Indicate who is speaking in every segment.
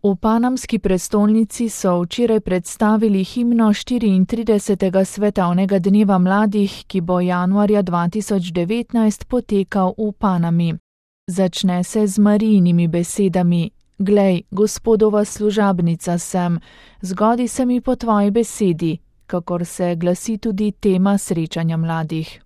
Speaker 1: V panamski prestolnici so včeraj predstavili himno 34. svetovnega dneva mladih, ki bo januarja 2019 potekal v Panami. Začne se z Marijinimi besedami: Glej, Gospodova služabnica sem, zgodi se mi po tvoji besedi, kakor se glasi tudi tema srečanja mladih.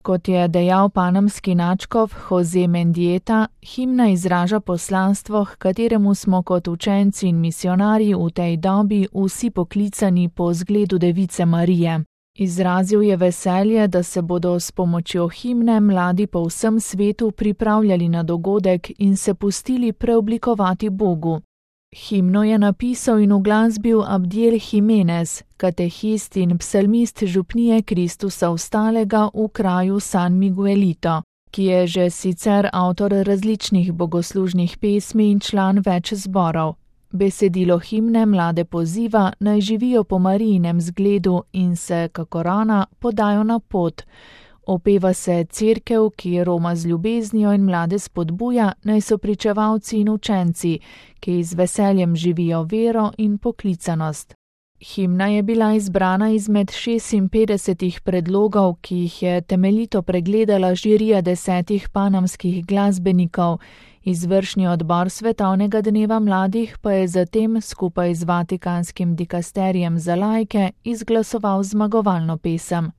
Speaker 1: Kot je dejal panamski nadškof Jose Mendieta, himna izraža poslanstvo, h kateremu smo kot učenci in misionarji v tej dobi vsi poklicani po zgledu Device Marije. Izrazil je veselje, da se bodo s pomočjo himne mladi po vsem svetu pripravljali na dogodek in se pustili preoblikovati Bogu. Himno je napisal in uglasbil Abdiel Jimenez, katehist in psalmist župnije Kristusa Vstalega v kraju San Miguelito, ki je že sicer avtor različnih bogoslužnih pesmi in član več zborov. Besedilo himne mlade poziva, naj živijo po Marijinem zgledu in se, kakor ona, podajo na pot. Opeva se cerkev, ki roma z ljubeznijo in mlade spodbuja, naj so pričevalci in učenci, ki z veseljem živijo vero in poklicanost. Himna je bila izbrana izmed 56 predlogov, ki jih je temeljito pregledala žirija 10 panamskih glasbenikov. Izvršni odbor Svetovnega dneva mladih pa je zatem skupaj z Vatikanskim dikasterijem za laike izglasoval zmagovalno pesem.